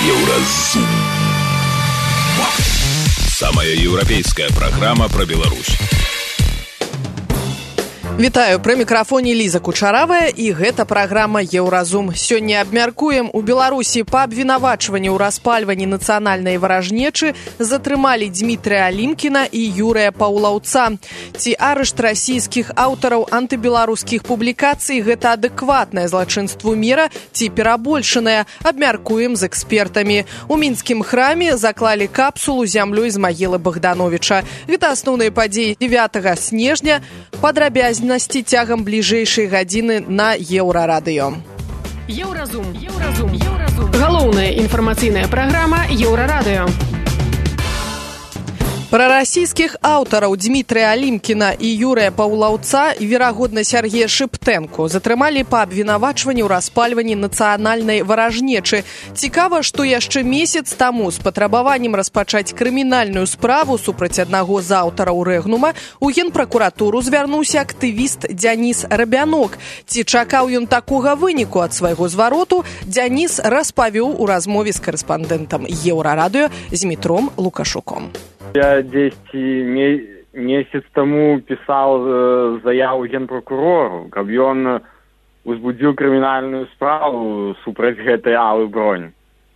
Еўразум. Самая еўрапейская праграма пра Беларусь. Вітаю, пры мікрафоне Ліза Кучаравая, і гэта праграма «Еўразум». Сёння абмяркуем, у Беларусі па абвінавачванні ў распальванні нацыянальнай варажнечы затрымалі Дмітрыя Алімкіна і Юрыя Паўлаўца. Ці арышт расійскіх аўтараў антыбеларускіх публікацый гэта адэкватнае злачынству мера ці перабольшанае, абмяркуем з экспертамі. У мінскім храме заклалі капсулу зямлёй з магілы Богдановича. Гэта асноўныя падзеі 9 снежня, падрабязнасці цягам бліжэйшай гадзіны на Еўрарадыё. Еўразум. Галоўная інфармацыйная праграма Еўрарадыё. Пра расійскіх аўтараў Дмітрыя Алімкіна і Юрыя Паўлаўца, верагодна Сергея Шыптэнку, затрымалі па абвінавачванні ў распальванні нацыянальнай варажнечы. Цікава, што яшчэ месяц таму з патрабаваннем распачаць крымінальную справу супраць аднаго з аўтараў рэгнума у генпракуратуру звярнуўся актывіст Дзяніс Рабянок. Ці чакаў ён такога выніку ад свайго звароту, Дзяніс распавёў у размове з карэспандэнтам Еўрарадыё Змітром Лукашуком. Я 10 месяц тому писал заяву генпрокурору, каб ён узбудзіў крымінальную справу супраць гэтай Аллы Бронь.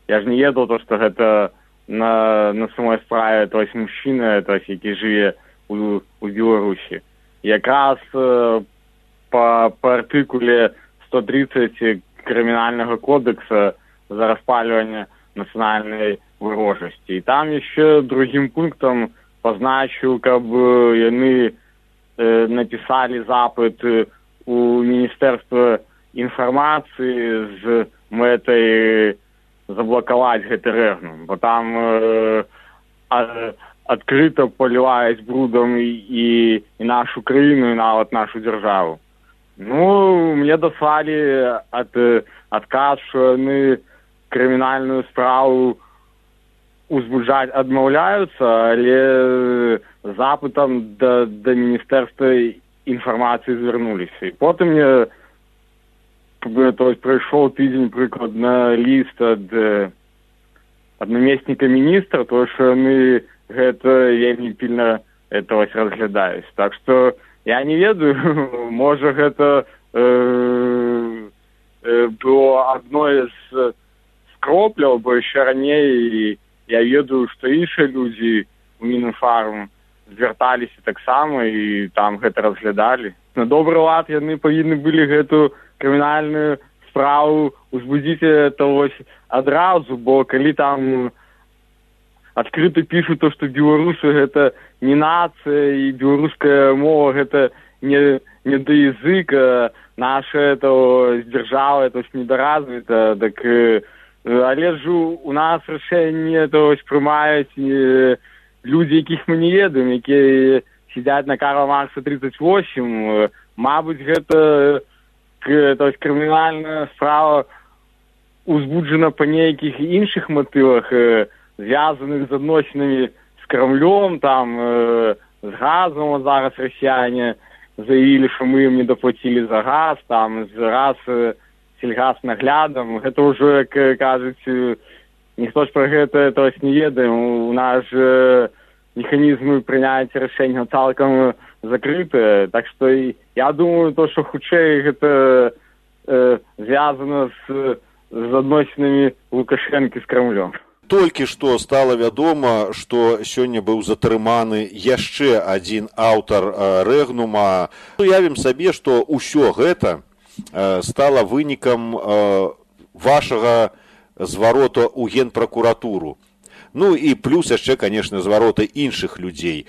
Я ж не ведаў, што гэта на самой справе, то есть мужчына, то есть, які жыве у Беларусі. Якраз по артыкуле 130 крымінальнага кодекса за распальванне нацыянальнай варожасці. І там яшчэ другім пунктам пазначыў, каб яны напісалі запыт у Міністэрства інфармацыі з мэтай заблакаваць гэты рэгнум, бо там адкрыта паліваюць брудам і нашу краіну, і нават нашу дзяржаву. Ну, мне даслалі адказ, што яны крымінальную справу узбуджаць адмаўляюцца, але запытам да Міністэрства інфармацыі звярнуліся. І потым мне прайшоў тыдзень прыкладна ліст ад намесніка міністра, то што яны гэта вельмі пільна разглядаюць. Так што я не ведаю, можа гэта было адной з кропляў, бо яшчэ раней я ведаю, што іншыя людзі у Мінфарм звярталіся таксама і там гэта разглядалі. На добры лад яны павінны былі гэту крымінальную справу узбудзіць адразу, бо калі там адкрыта пішуць то, што беларусы гэта не нацыя і беларуская мова гэта не язык, наша дзяржава недоразвіта, так але ж у нас рашэнне прымаюць людзі, якіх мы не ведаем, якія сядзяць на Карла Маркса 38. Мабыць, гэта крымінальная справа узбуджана па нейкіх іншых матывах, звязаных з адносінамі з Крамлём, там з газам. Зараз расіяне заявілі, што мы ім не даплацілі за газ, там раз сельгаснаглядам. Гэта ўжо, як кажуць, ніхто ж пра гэта не ведае. У нас механізмы прыняцця рашэнняў цалкам закрытыя. Так што я думаю, што хутчэй гэта звязана з адносінамі Лукашэнкі з Крамлём. Толькі што стала вядома, што сёння быў затрыманы яшчэ адзін аўтар рэгнума. Уявім сабе, што ўсё гэта стала вынікам вашага зварота ў генпракуратуру. Ну і плюс яшчэ, канешне, звароты іншых людзей.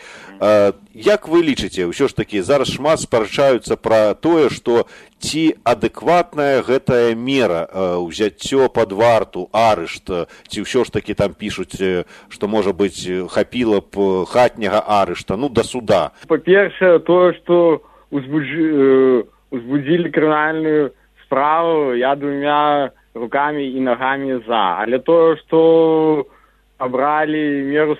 Як вы лічыце, ўсё ж такі зараз шмат спрачаюцца пра тое, што ці адэкватная гэтая мера, ўзяццё пад варту, арышт, ці ўсё ж такі там пішуць, што, можа быць, хапіла б хатняга арышта, да суда? Па-першае, тое, што узбудзілі крымінальную справу, я двумя рукамі і нагамі за. Але тое, што абралі меру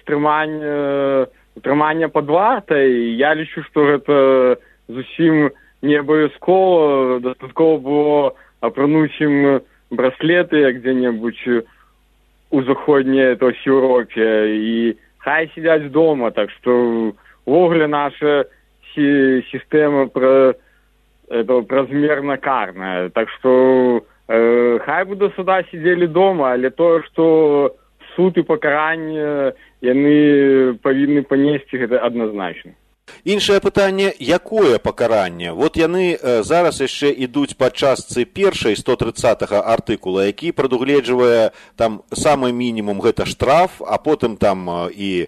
утрымання пад вартай, я лічу, што гэта зусім не абавязкова. Дастаткова было апрануць ім браслеты, як дзе-небудзь у заходняй Европе, и хай сидят дома, так что вовремя наша система размерно карная, так что хай бы до суда сидели дома, але то, что суд и покарание яны павінны панесці, гэта адназначна. Іншае пытанне, якое пакаранне? Вот яны зараз яшчэ ідуць па частцы першай 130-го артыкула, які прадугледжвае там самы мінімум гэта штраф, а потым там і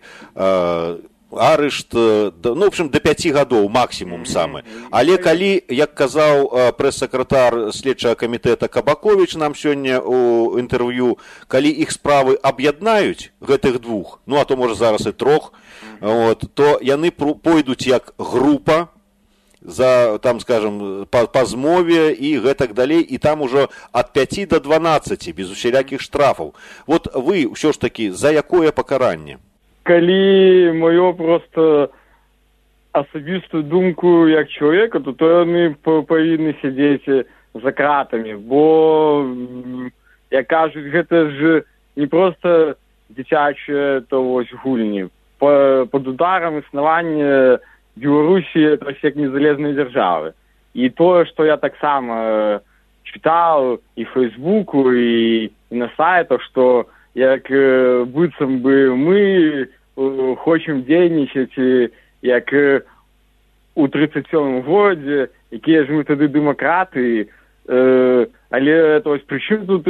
арышт, ну, в общем, до 5 гадоў максімум самы. Але калі, як казаў прэс-сакратар следчага камітэта Кабаковіч нам сёння у інтэрв'ю, калі іх справы аб'яднаюць, гэтых двух, ну, а то, можа, зараз і трох, вот, то яны пойдуць як група за, там, скажем, па змове і гэтак далей, і там ужо ад 5 до 12, без усялякіх штрафаў. Вот вы ўсё ж такі за якое пакаранне? Калі мою просто асабістую думку як чалавека, то яны павінны сядзець за кратамі, бо, як кажуць, гэта ж не проста дзіцячыя гульні. Под ударом існавання Беларусі як незалежнай дзяржавы. І тое, што я таксама чытаў і Фейсбуку, і на сайтах, што як быццам бы мы хочам дзейнічаць як у 37-м годзе, якія ж мы тады дэмакраты, але прычым тут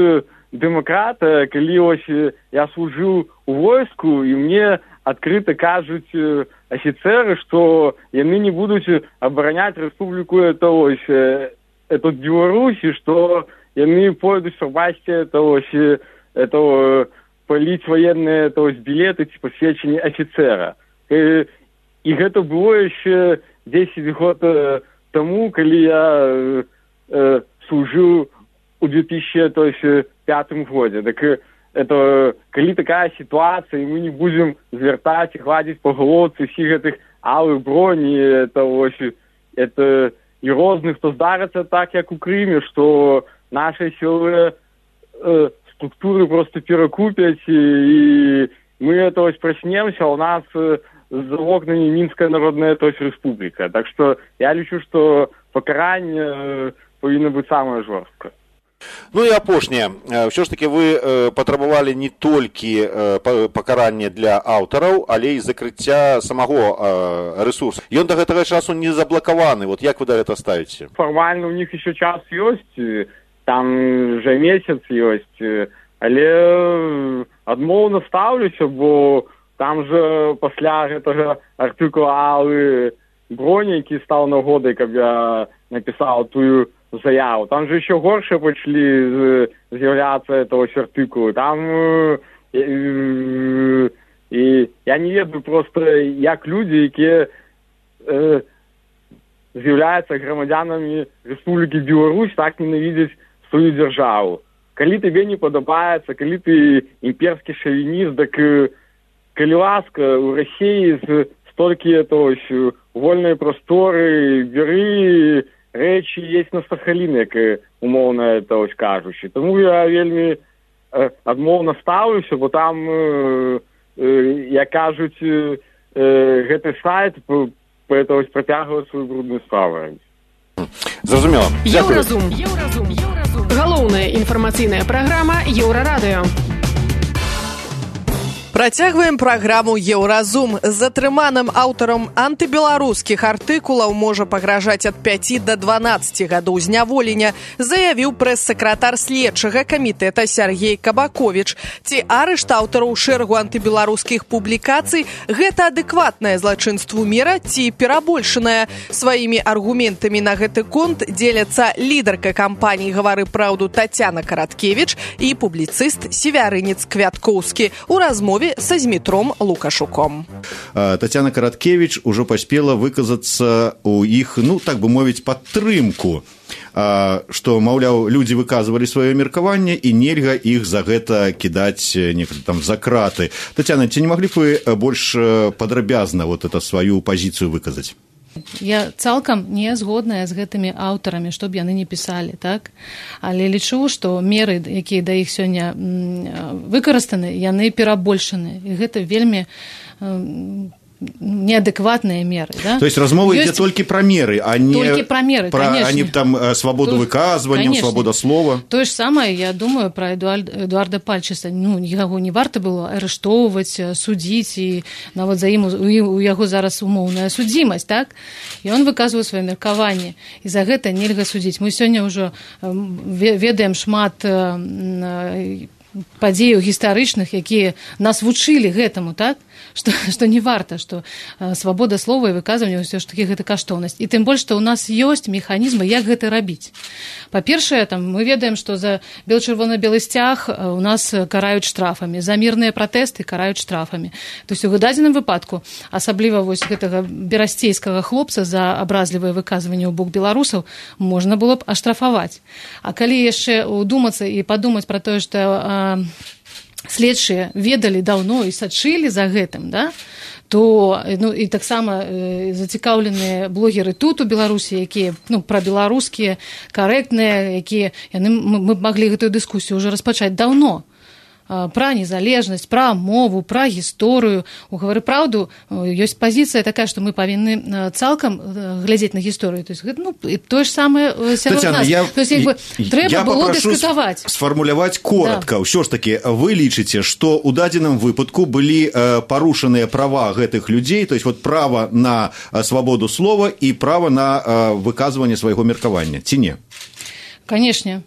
дэмакрата, калі я служыў у войску, і мне адкрыта кажуць афіцеры, што яны не будуць абараняць рэспубліку Беларусі, што яны пойдуць прапасці паліць военные билеты ці посведчанні офіцера. І гэта было яшчэ 10 год тому, калі я служыў у 2005 годзе. Так это калі такая ситуация, и мы не будем звертаць и гладить по головце всіх гэтых алых броні, это і розных, то здарыцца так, як у Крыме, что наши силы структуры просто перекупят, и мы проснемся, у нас за окнами Минская народная республика. Так что я лічу, что покарание повинно быть самое жорсткое. Ну і апошняе, ўсё ж таки вы патрабавалі не толькі пакаранне для аўтараў, але і закрыцця самого ресурсу. Ён до гэтага часу не заблокаваны. Вот як вы да гэта ставіце? Формально у них еще час ёсць, там вже месяц ёсць, але адмоўна стаўлюся, бо там же пасля гэтага артыкула Аллы Броні, які стаў нагодай, каб я напісаў тую заяву. Там же еще горше пачалі з'яўляцца этого артыкулы. Там і я не ведаю просто, як людзі, якія з'яўляюцца грамадзянамі Рэспублікі Беларусь, так ненавідзяць свою дзяржаву. Калі тебе не падабаецца, калі ты імперскі шавініст, так калі ласка, у России столькі вольнай прасторы, бяры рэчы есть на Сахаліне, як умоўна кажучы. Таму я вельмі адмоўна стаўлюся, бо там, як кажуць, гэты сайт працягвае сваю брудную справу. Зразумела. Еўразум. Галоўная інфармацыйная праграма Еўрарадыё. Працягваем праграму «Еўразум». Затрыманым аўтарам антыбеларускіх артыкулаў можа пагражаць ад 5 до 12 гадоў зняволення, заявіў прэс-сакратар следчага камітэта Сяргей Кабаковіч. Ці арышт аўтараў шэрагу антыбеларускіх публікацый – гэта адэкватнае злачынству мера ці перабольшанае? Сваімі аргументамі на гэты конт дзеляцца лідарка кампаніі «Гавары праўду» Тацяна Караткевіч і публіцыст Севярынец Квяткоўскі у размове са Змітром Лукашуком. Тацяна Караткевіч ужо паспела выказацца у іх, ну, так бы мовіць, падтрымку, што, маўляў, людзі выказвалі сваё меркаванне і нельга іх за гэта кідаць там за краты. Тацяна, ці не маглі б вы больш падрабязна вот это сваю пазіцыю выказаць? Я цалкам не згодная з гэтымі аўтарамі, што б яны не пісалі, так? Але лічу, што меры, якія да іх сёння выкарыстаны, яны перабольшаны. І гэта вельмі неадекватные меры. Да? То есть размова ідзе толькі пра меры, а не пра свабоду выказвання, свабода слова. Тое ж самае, я думаю, пра Эдуарда Пальчыса. Яго не варта было арыштоўваць, судзіць, і нават за ім у яго зараз умоўная судзімасць, так? І он выказвае сваё меркаванне, і за гэта нельга судзіць. Мы сёння ўжо ведаем шмат падзеяў гістарычных, якія нас вучылі гэтаму, так? Што не варта, што свабода слова і выказвання ўсё ж такі гэта каштоўнасць. І тым больш, што ў нас ёсць механізмы, як гэта рабіць. Па-першае, мы ведаем, што за чырвона-белы сцяг у нас караюць штрафамі, за мірныя пратэсты караюць штрафамі. То есть у дадзеным выпадку, асабліва вось гэтага берасцейскага хлопца за абразлівыя выказванні ў бок беларусаў, можна было б аштрафаваць. А калі яшчэ удумацца і падумаць пра тое, што следчыя ведалі даўно і сачылі за гэтым, да? То і таксама зацікаўленыя блогеры тут у Беларусі, якія прабеларускія, карэктныя, якія мы маглі гэтую дыскусію ўжо распачаць даўно. Пра незалежнасць, пра мову, пра гісторыю. У «Гавары праўду» ёсць пазіцыя такая, што мы павінны цалкам глядзець на гісторыю. То есть, тое ж самае сярод нас. То есть, трэба было дыскутаваць. Сфармуляваць коротка. Ўсё ж такі, вы лічыце, што ў дадзеным выпадку былі парушаныя права гэтых людзей, то есть вот права на свабоду слова і права на выказванне свайго меркавання, ці не? Канешне.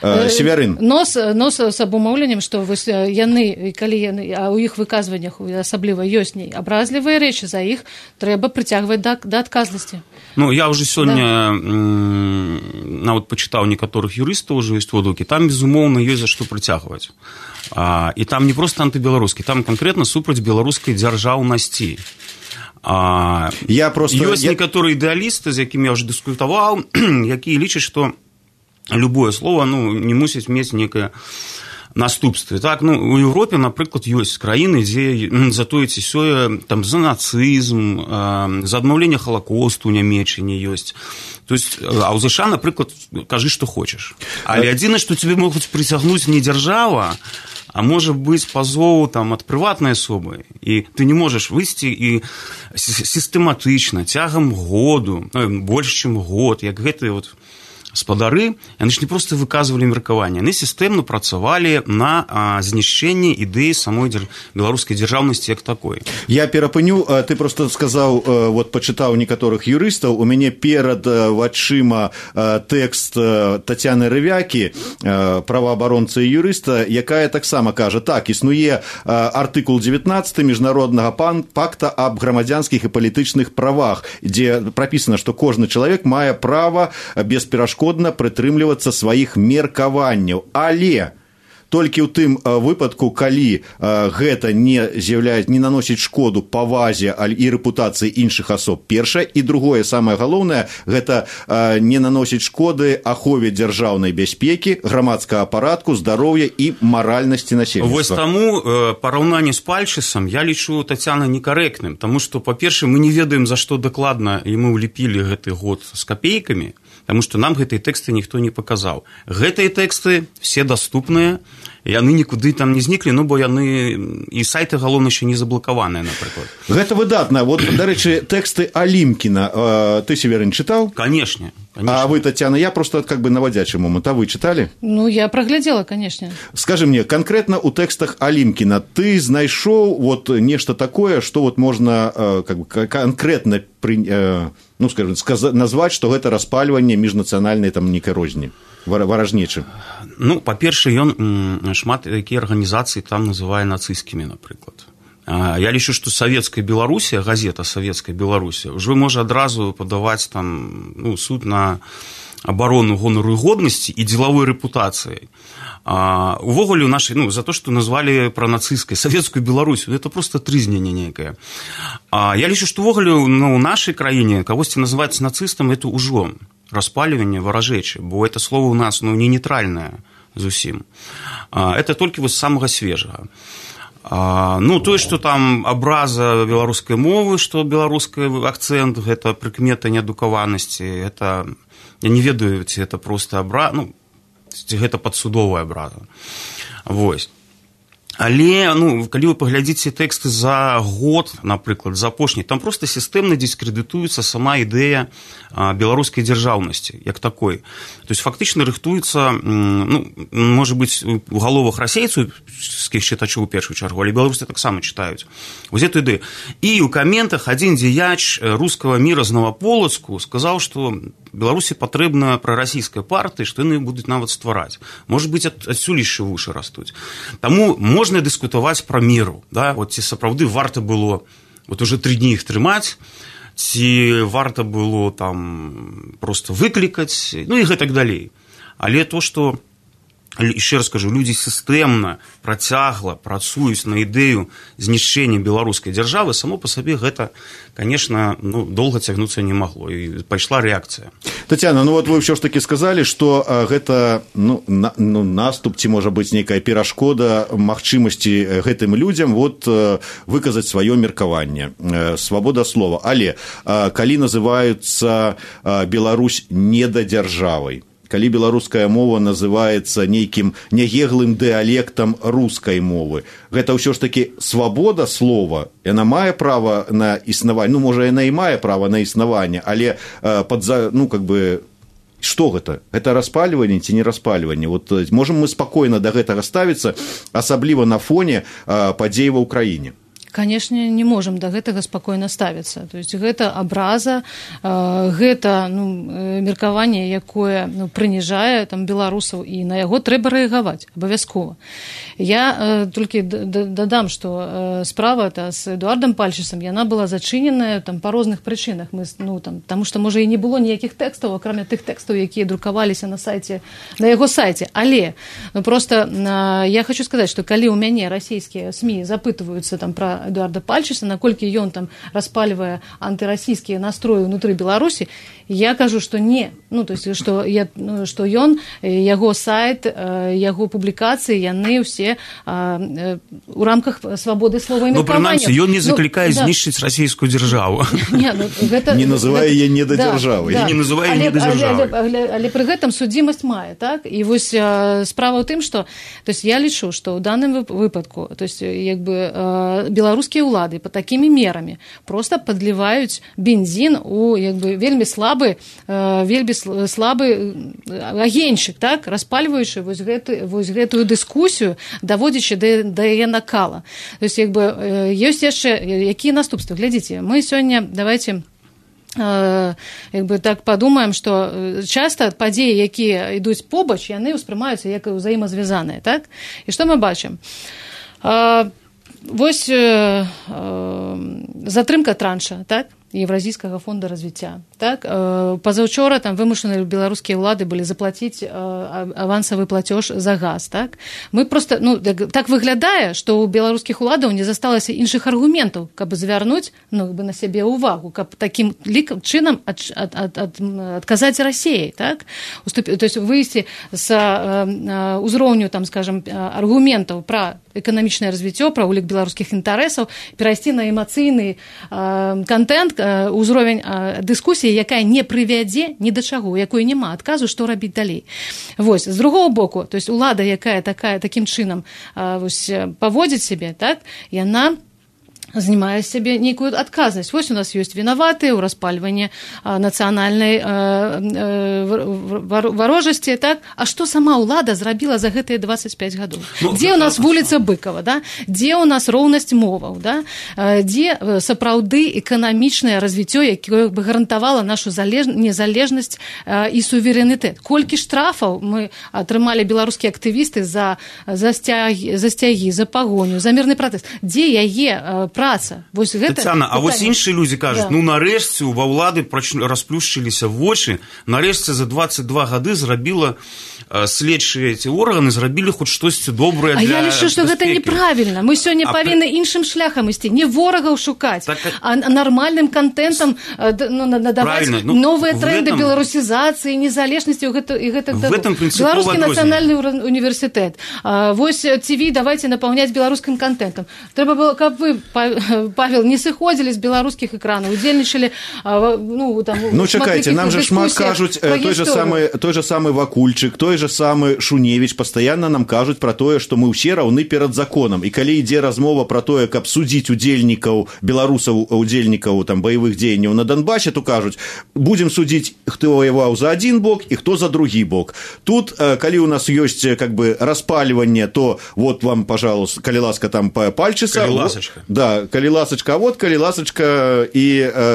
Севярын. Нос з абумоўленнем, што яны, калі а ў іх выказваннях асабліва ёсць абразлівыя рэчы, за іх трэба прыцягваць да адказнасці. Я ўжо сёння нават пачытаў некаторых юрыстаў, ўжо ёсць водгукі, там, безумоўна, ёсць за што прыцягваць. І там не проста антыбеларускі, там канкрэтна супраць беларускай дзяржаўнасці. Ёсць некаторыя ідэалісты, з якімі я ўжо дыскутаваў, якія лічаць, што любое слово не мусіць мець некае наступстве. Так, у Европе, напрыклад, ёсць краіны, дзе за тое ці сёе за нацызм, за адмаўленне Халакосту ў Нямеччыне ёсць. То есть, а ў ЗША, напрыклад, кажы, што хочаш. Але адзінае, што цябе могуць прыцягнуць не дзяржава, а можа быць пазоў ад прыватнай асобы. І ты не можаш выйсці і сістэматычна, цягам году, больш, чым год, як гэтыя спадары, яны ж не проста выказвалі меркаванне, яны сістэмна працавалі на знішчэнні ідэі самой беларускай дзяржаўнасці як такой. Я перапыню, ты просто сказаў, пачытаў некаторых юрыстаў, у мяне перад вачыма тэкст Тацяны Рывякі, праваабаронцы і юрыста, якая таксама кажа, так, існуе артыкул 19 міжнароднага пакта аб грамадзянскіх і палітычных правах, дзе прапісана, што кожны чалавек мае права бесперашкодна прытрымлівацца сваіх меркаванняў, але толькі ў тым выпадку, калі гэта не наносіць шкоду павазе і рэпутацыі іншых асоб, першае, і другое, самае галоўнае, гэта не наносіць шкоды ахове дзяржаўнай бяспекі, грамадскага парадку, здароўя і маральнасці насельніцтва. Вось таму параўнанне з Пальчысам я лічу Тацяна некарэктным, таму што, па-першае, мы не ведаем, за што дакладна яму ўліпілі гэты год з капейкамі, таму што нам гэтыя тэксты ніхто не паказаў. Гэтыя тэксты все даступныя, яны нікуды там не зніклі, бо яны і сайты галоўна ще не заблакаваныя, напрыклад. Гэта выдатна. Дарэчы, тэксты Алімкіна ты, Северин, чытаў? Конечно. А вы, Татьяна, я просто наводячий момент, а вы читали? Я проглядела, конечно. Скажи мне, конкретно у тэкстах Алімкіна ты знайшоў нешта такое, што можна конкретно назваць, што гэта распальванне міжнацыянальнай нейкай розні, варажнечы? Па-першае, ён шмат якія арганізацыі там называе нацысцкімі, напрыклад. Я лічу, што Савецкая Беларусія, газета Савецкая Беларусія, ўжо можа адразу падаваць суд на абарону гонару і годнасці і дзелавой рэпутацыяй. Увогуле у нашай, за то, што назвалі пра нацысцкай Савецкую Беларусію, это просто трызненне нейкае. Я лічу, што увогуле у нашай краіне кагосьці называць нацыстам, это ўжо распальванне варажэчы, бо это слово у нас не нейтральнае зусім. Это толькі з самага свежага. Ну, тое, што там абраза беларускай мовы, што беларускі акцэнт, гэта прыкмета неадукаванасці, гэта, я не ведаю, ці гэта проста абраза, ну, ці гэта падсудовая абраза. Вось. Але, ну, калі вы паглядзіце тэксты за год, напрыклад, за апошні, там проста сістэмна дыскрэдытуецца сама ідэя беларускай дзяржаўнасці, як такой. То есть, фактычна рыхтуецца, ну, можа быць, у галовах расейцкіх чытачоў у першую чаргу, але беларусы таксама чытаюць. Вось эту ідэю. І ў каментах адзін дзеяч рускага міра з Новаполацку сказаў, што Беларусі патрэбна прарасійская партыя, што яны будуць нават ствараць. Можа быць, адсюль яшчэ вушы растуць. Таму можна дыскутаваць пра меру, да? Вот ці сапраўды варта было вот уже 3 дні іх трымаць, ці варта было там проста выклікаць, ну і гэтак далей. Але то, што, яшчэ раз скажу, людзі сістэмна, працягла працуюць на ідэю знішчэння беларускай дзяржавы, само па сабе гэта, конечно, ну, доўга цягнуцца не магло, і пайшла рэакцыя. Татьяна, ну вот вы ўсё ж таки сказалі, што гэта наступ, ці можа быць нейкая перашкода магчымасці гэтым людзям вот выказаць сваё меркаванне, свабода слова. Але калі называюцца Беларусь недадзяржавай, калі беларуская мова называецца нейкім нягеглым дыялектам рускай мовы, гэта ўсё ж такі свабода слова, яна мае права на існаванне, ну, можа, яна і мае права на існаванне, але ну, как бы, што гэта? Гэта распальванне ці не распальванне? Вот можам мы спакойна да гэтага ставіцца, асабліва на фоне падзей ва ўкраіне? Конечно, не можам да гэтага спакойна ставіцца. То есть гэта абраза, гэта, ну, меркаванне, якое, ну, прыніжае там беларусаў, і на яго трэба рэагаваць абавязкова. Я толькі дадам, што справа-то з Эдуардам Пальчысам, яна была зачыненая там па розных прычынах. Мы, ну, там, таму што, можа, і не было ніякіх тэкстаў, акрамя тых тэкстаў, якія друкаваліся на сайце, на яго сайце. Але, ну, просто я хочу сказаць, што калі ў мяне расійскія СМІ запытваюцца там пра Эдуарда Пальчыса, наколькі ён там распальвае антырасійскія настроі ўнутры Беларусі, я кажу, што не. Ну, то есть, што ён, яго сайт, яго публікацыі, яны ўсе у рамках свабоды слова і меркавання. Ну, прынамсі, ён не заклікае знішчыць расійскую дзяржаву. Не называе яе недадзяржавай. Не называе недадзяржавай. Але пры гэтым судзімасць мае, так? І вось справа ў тым, што, то есть, я лічу, што ў даным выпадку, то есть, як бы, беларускія ўлады па такімі мерамі проста падліваюць бензін у, як бы, вельмі слабы агеньчык, так, распальваючы вось гэтую дыскусію, даводзячы да яе накала. То есть, як бы, ёсць яшчэ якія наступствы? Глядзіце, мы сёння, давайте як бы так падумаем, што часта падзеі, якія ідуць побач, яны ўспрымаюцца як узаемазвязаныя, так? І што мы бачым? Вось затрымка транша, так, Евразійскага фонда развіцця. Так, пазаўчора там вымушаныя беларускія ўлады былі заплаціць авансавы платеж за газ. Так? Мы просто, ну, так выглядае, што ў беларускіх уладаў не засталася іншых аргументаў, каб звярнуць, ну, на сябе ўвагу, каб такім чынам адказаць Расіяй. Так? То есть выйсці з узроўню, там, скажем, аргументаў пра эканамічнае развіццё, пра ўлік беларускіх інтарэсаў, перайсці на эмацыйны контент, узровень дыскусіі, якая не прывядзе ні да чаго, якой няма адказу, што рабіць далей. Вось, з другого боку, то есть улада, якая такім чынам вось, паводзіць сябе, так, яна знімае з сябе нейкую адказнасць. Вось у нас ёсць вінаватыя ў распальванні нацыянальнай варожасці, так? А што сама ўлада зрабіла за гэтыя 25 гадоў? Дзе ў нас вуліца Быкова, да? Дзе ў нас роўнасць моваў, да? Дзе сапраўды эканамічнае развіццё, якое бы гарантавала нашу незалежнасць і суверэнітэт? Колькі штрафаў мы атрымалі беларускія актывісты за сцягі, за пагоню, за мірны пратэст? Дзе яе праца? Вось гэта Тацяна, а вось іншыя людзі кажуць, да. Ну нарэшце ва ўлады расплюшчыліся вочы, нарэшце за 22 гады зрабіла следчыя эти органы зрабілі хоць штосьці добрае для я лічу, што гэта неправільна. Мы сёння павінны іншым шляхам ісці, не ворагаў шукаць, а нармальным контентам надаваць новыя тренды беларусізацыі, незалежнасці і гэтак далей. Беларускі нацыянальны універсітэт. Вось ТВ давайте напаўняць беларускім контентам. Трэба было, каб вы, Павел, не сыходзілі з беларускіх экранаў, удзельнічалі, чакайце, нам же шмат кажуць, той же самы Вакульчык, той же самы Шуневіч пастаянна нам кажуць пра тое, што мы ўсе раўны перад законам. І калі ідзе размова пра тое, каб судзіць удзельнікаў, беларусаў, удзельнікаў там баявых дзеянняў на Донбасе, то кажуць, будзем судзіць, хто воеваў за адзін бок і хто за другі бок. Тут, калі у нас ёсць как бы распальванне, то вот вам, пожалуйста, калі ласка, там пальчыца. Калі ласачка. Да, калі ласачка, а вот калі ласачка і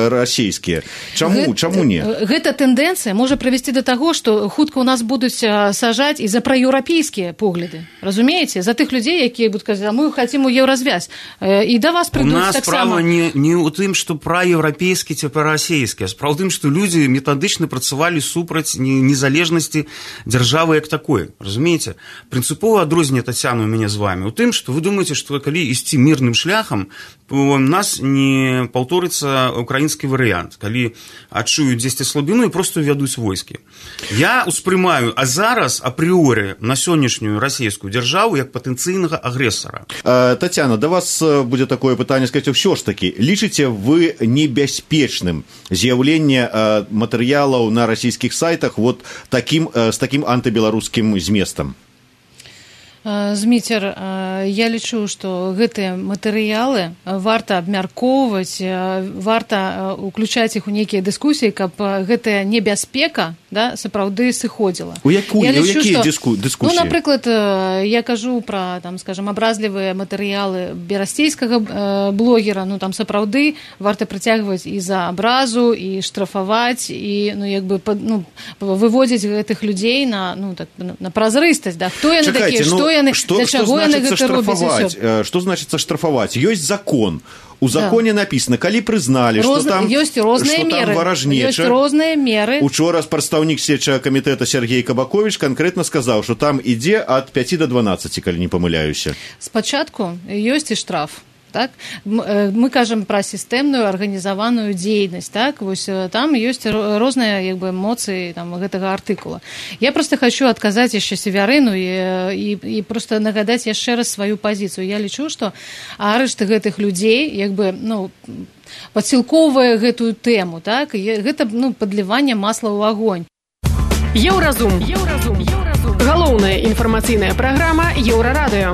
расійскія. Чаму не? Гэта тэндэнцыя можа прывесці да таго, што хутка ў нас будуць сажаць і за праеўрапейскія погляды. Разумееце? За тых людзей, якія будуць казаць, мы хацім у еўразвязь. І да вас прыйдуць таксама. У нас справа не ў тым, што праеўрапейскі ці прарасійскі, а справа ў тым, што людзі метадычна працавалі супраць незалежнасці дзяржавы як такой. Разумееце? Прынцыпова адрозненне, Тацяна, у мяне з вами у тым, што вы думаеце, што калі ісці мірным шляхам, у нас не паўторыцца украінскі варыянт, калі адчуюць дзесьці слабіну і проста ўвядуць войскі. Я успрымаю, а зараз апрыоры на сённяшнюю расійскую дзяржаву як патэнцыйнага агрэсара. Тацяна, да вас будзе такое пытанне, сказаць, ўсё ж такі, лічыце вы небяспечным з'яўленне матэрыялаў на расійскіх сайтах вот з такім антыбеларускім зместам? Зміцер, я лічу, што гэтыя матэрыялы варта абмяркоўваць, варта уключаць іх у нейкія дыскусіі, каб гэтая небяспека, да, сапраўды сыходзіла. У якія дыскусіі? Ну, напрыклад, я кажу пра, там, скажем, абразлівыя матэрыялы берасцейскага блогера, ну, там сапраўды варта прыцягваць і за абразу, і штрафаваць, і, ну, як бы, выводзіць гэтых людзей на празрыстасць, да, хто яны такія, што яны, для чаго яны гэта робяць. Што значыцца штрафаваць? Ёсць закон. У законе написано, калі прызналі, што там варажнеча. Ёсць розныя меры. Учора прадстаўнік следчага камітэта Сергей Кабакович канкрэтна сказаў, што там ідзе ад 5 до 12, калі не памыляюся. Спачатку ёсць і штраф. Так? Мы кажам пра сістэмную арганізаваную дзейнасць, так? Вось там ёсць розныя як бы эмоцыі там гэтага артыкула. Я просто хочу адказаць яшчэ Севярыну і просто нагадаць яшчэ раз сваю пазіцыю. Я лічу, што арышт гэтых людзей як бы, ну, падсілкоўвае гэтую тэму, так? Гэта, ну, падліванне масла ў агонь. Еўразум. Галоўная інфармацыйная праграма Еўрарадыё.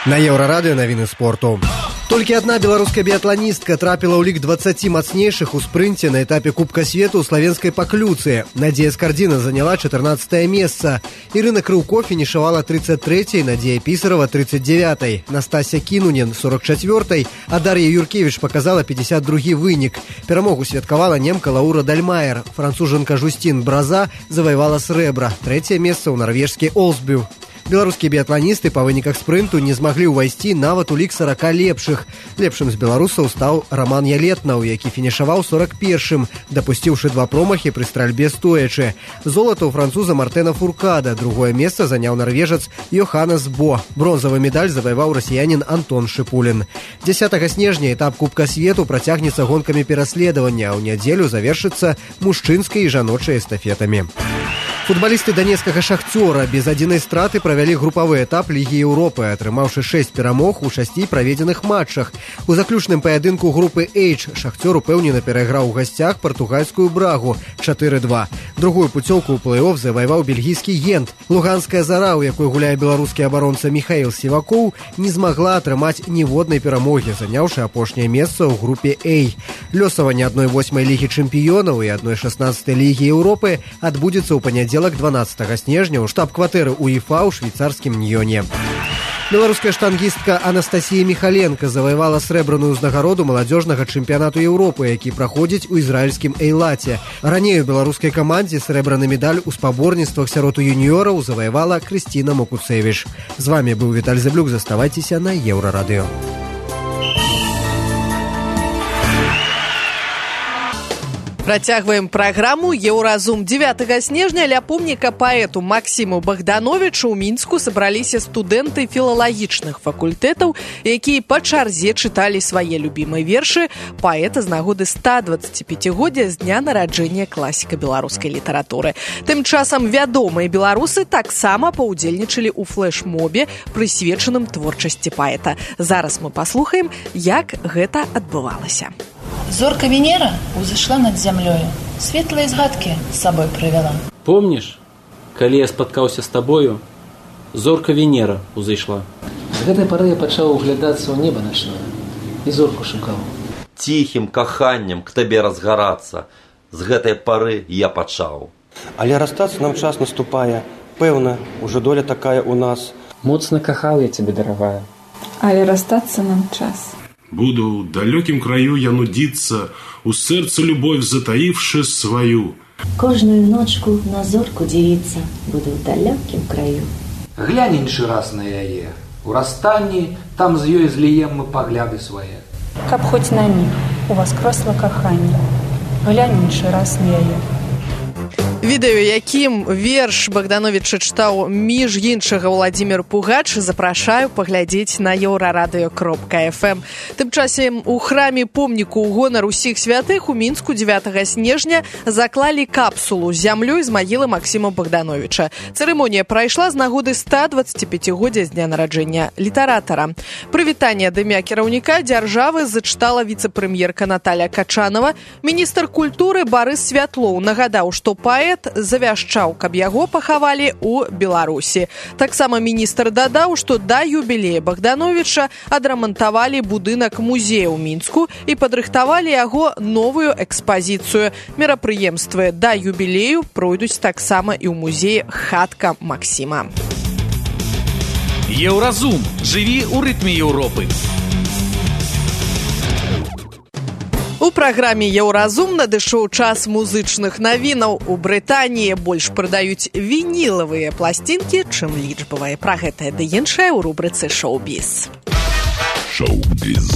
На Еўрарадыё навіны спорту. Толькі адна беларуская біятланістка трапіла ў лік 20 мацнейшых у спрынце на этапе Кубка свету ў славенскай Паклюцы. Надзея Скардзіна заняла 14-е месца. Ірына Крыўко фінішавала 33-й, Надзея Пісарава 39-й, Настасья Кінунен 44-й, а Дар'я Юркевіч показала 52-й вынік. Перамогу святкавала немка Лаура Дальмайер. Францужанка Жустін Браза заваявала срэбра. 3-е месца ў нарвежскі Олсбю. Беларускія біятланісты па выніках спрынту не змаглі ўвайсці нават у лік 40 лепшых. Лепшым з беларусаў стаў Раман Ялетнаў, які фінішаваў 41-м, дапусціўшы 2 промахі пры стральбе стоячы. Золата ў француза Мартена Фуркада, другое месца заняў нарвежац Йоханнес Бо. Бронзавы медаль заваяваў расіянін Антон Шыпулін. 10 снежня этап Кубка свету працягнецца гонкамі пераследавання, а ў нядзелю завершыцца мужчынскай і жаночай эстафетамі. Футбалісты данецкага «Шахцёра» без адзінай страты правялі групавы этап Лігі Еўропы, атрымаўшы 6 перамог у 6 праведзеных матчах. У заключным паядынку групы H «Шахцёр» упэўнена перайграў у гасцях партугальскую «Брагу» 4-2. Другую пуцёўку ў плэй-оф заваяваў бельгійскі «Гент». Луганская «Зара», у якой гуляе беларускі абаронца Міхаіл Сівакоў, не змагла атрымаць ніводнай перамогі, заняўшы апошняе месца ў групе A. Лёсаванне 1/8 Лігі чэмпіёнаў і 1/16 Лігі Еўропы адбудзецца ў панядзелак 12 снежня ў штаб-кватэры УЕФА ў швейцарскім Ньёне. Беларуская штангістка Анастасія Міхаленка заваявала срэбраную ўзнагароду маладзёжнага чэмпіянату Еўропы, які праходзіць у ізраільскім Эйлаце. Раней у беларускай камандзе срэбраны медаль у спаборніцтвах сярод юніёраў заваявала Крысціна Мокуцевіч. З вами быў Віталь Зэблюк, заставайцеся на Еўрарадыё. Працягваем праграму «Еўразум». 9 снежня ля помніка паэту Максіму Богдановичу ў Мінску сабраліся студэнты філалагічных факультэтаў, якія па чарзе чыталі свае любімыя вершы паэта з нагоды 125-годдзя з дня нараджэння класіка беларускай літаратуры. Тым часам вядомыя беларусы таксама паўдзельнічалі ў флэш-мобе, прысвечаным творчасці паэта. Зараз мы паслухаем, як гэта адбывалася. Зорка Венера узышла над зямлёю, светлыя згадкі з сабой прывяла. Помніш, калі я спаткаўся з табою, зорка Венера узышла. З гэтай пары я пачаў углядацца ў неба начное і зорку шукаў. Ціхім каханнем к табе разгарацца, з гэтай пары я пачаў. Але расстацца нам час наступае, пэўна, ужо доля такая ў нас. Моцна кахаў я цябе, дарагая. Але расстацца нам час. Буду в далекім краю я нудиться, у сердце любовь затаивши свою. Кожную ночку на зорку дивиться, буду в далекім краю. Глянь іншы раз на яе. У расстанні там з ёй зліем мы пагляды свае. Каб хоць на миг у вас кросла каханне, глянь іншы раз на яе. Відэо, якім верш Богдановича чытаў між іншага Владзімір Пугач, запрашаю паглядзець на еўрарадыё.фм. Тым часам у храме помніку ў гонар усіх святых у Мінску 9 снежня заклалі капсулу з зямлёй з магілы Максіма Богдановича. Цырымонія прайшла з нагоды 125-годдзя з дня нараджэння літаратара. Прывітанне ад імя кіраўніка дзяржавы зачытала віцэ-прэм'ерка Наталья Качанова. Міністр культуры Барыс Святлоў нагадаў, што паэт завяшчаў, каб яго пахавалі ў Беларусі. Таксама міністр дадаў, што да юбілея Богдановича адрамантавалі будынак музея ў Мінску і падрыхтавалі яго новую экспазіцыю. Мерапрыемствы да юбілею пройдуць таксама і ў музеі «Хатка Максіма». Еўразум. Жыві ў рытме Еўропы. У праграме «Еўразум» надышоў час музычных навінаў. У Брытаніі больш прадаюць вінілавыя пласцінкі, чым лічбавыя. Пра гэтае ды іншае ў рубрыцы «Шоу-біз». Шоу-біз.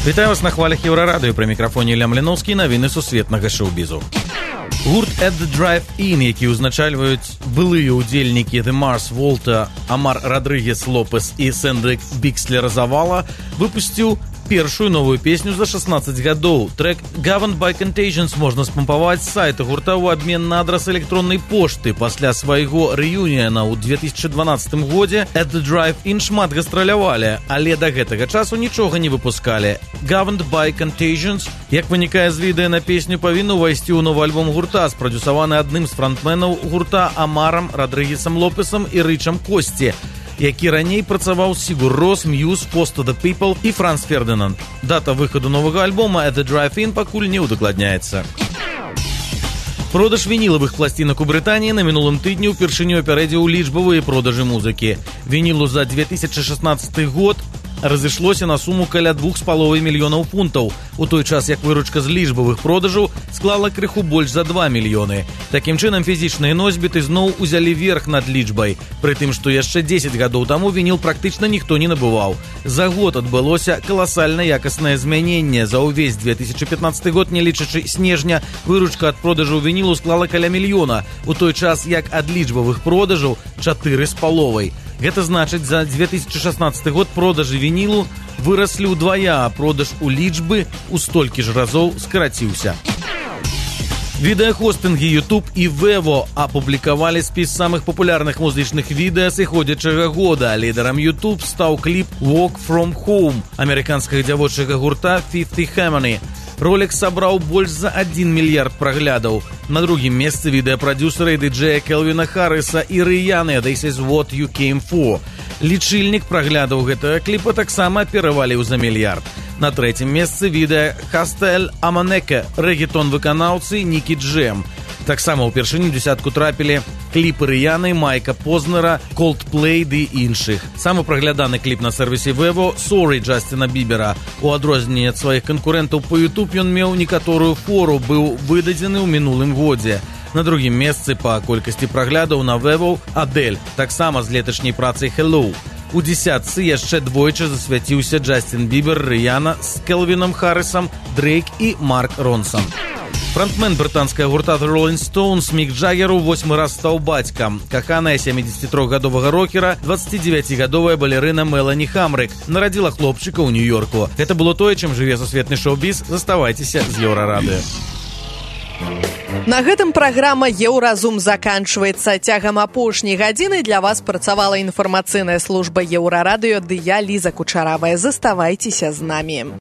Вітаю вас на хвалях Еўрарадыё. Пры мікрафоне Ілля Мліноўскі, навіны сусветнага шоу-бізу. Гурт «At the Drive-In», які ўзначальваюць былыя ўдзельнікі The Mars Volta, Амар Родригес Лопес і Сэндрик Бікслер Завала, выпусціў першую новую песню за 16 гадоў. Трек «Governed by Contagions» можна спампаваць з сайта гурта ў абмен на адрас электроннай пошты. Пасля свайго рэюніяна ў 2012 годзе «At the Drive-In» шмат гастралявалі, але да гэтага часу нічога не выпускалі. «Governed by Contagions», як вынікае з відэа на песню, павінна ўвайсці ў новы альбом гурта, спрадюсаваны адным з франтменаў гурта Амарам Родригесам Лопесам і Рычам Косці, які раней працаваў з Сігур Рос, Мьюз, Post of the People і Франц Фердинанд. Дата выхаду новага альбома «At the Drive-In» пакуль не ўдакладняецца. Продаж вінілавых пласцінак у Брытаніі на мінулым тыдні ўпершыню апярэдзіў лічбавыя продажы музыкі. Вінілу за 2016 год разышлося на суму каля 2,5 мільёнаў фунтаў, у той час як выручка з лічбавых продажаў склала крыху больш за 2 мільёны. Такім чынам фізічныя носьбіты зноў узялі верх над лічбай, пры тым, што яшчэ 10 гадоў таму вініл практычна ніхто не набываў. За год адбылося каласальна якаснае змяненне. За ўвесь 2015 год, не лічачы снежня, выручка ад продажаў вінілу склала каля мільёна, у той час як ад лічбавых продажаў 4,5. Гэта значыць, за 2016 год продажы вінілу выраслі ўдвая, а продаж у лічбы ў столькі ж разоў скараціўся. Відэахостынгі YouTube і Vevo апублікавалі спіс самых папулярных музычных відэа сыходзячага года. Лідарам YouTube стаў кліп «Walk From Home» амерыканскага дзявочага гурта Fifth Harmony. Ролик сабраў больш за 1 мільярд праглядаў. На другім месцы відэапрадюсера і дыджэя Келвіна Харрыса і Рыяны «This is what you came for». Лічыльнік праглядаў гэтага кліпа таксама пераваліў за мільярд. На трэцім месцы відэа «Хастель Аманека» рэгетон-выканаўцы Нікі Джем. Таксама ўпершыню дзесятку трапілі кліпы Рыяны, Майка Познера, Coldplay ды іншых. Самы прагляданы кліп на сервісе Vevo «Sorry» Джастина Бібера. У адрозненне ад сваіх канкурэнтаў па YouTube ён меў некаторую фору, быў выдадзены ў мінулым годзе. На другім месцы па колькасці праглядаў на Vevo «Адель», таксама з леташняй працай «Hello». У дзесятцы яшчэ двойчы засвяціўся Джастин Бібер, Рыяна з Келвінам Харрісам, Дрейк і Марк Ронсон. Фронтмен брытанскага гурта The Rolling Stones Мік Джаггер у 8 раз стаў бацькам. Каханая 73-гадовага рокера 29-гадовая балерына Мелані Хамрык нарадзіла хлопчыка ў Нью-Йорку. Гэта было тое, чым жыве сусветны шоу-біз. Заставайцеся з Еўрарадыё. На гэтым праграма «Еўразум» заканчваецца. Цягам апошняй гадзіны для вас працавала інфармацыйная служба Еўрарадыё ды я, Ліза Кучаравая. Заставайцеся з намі.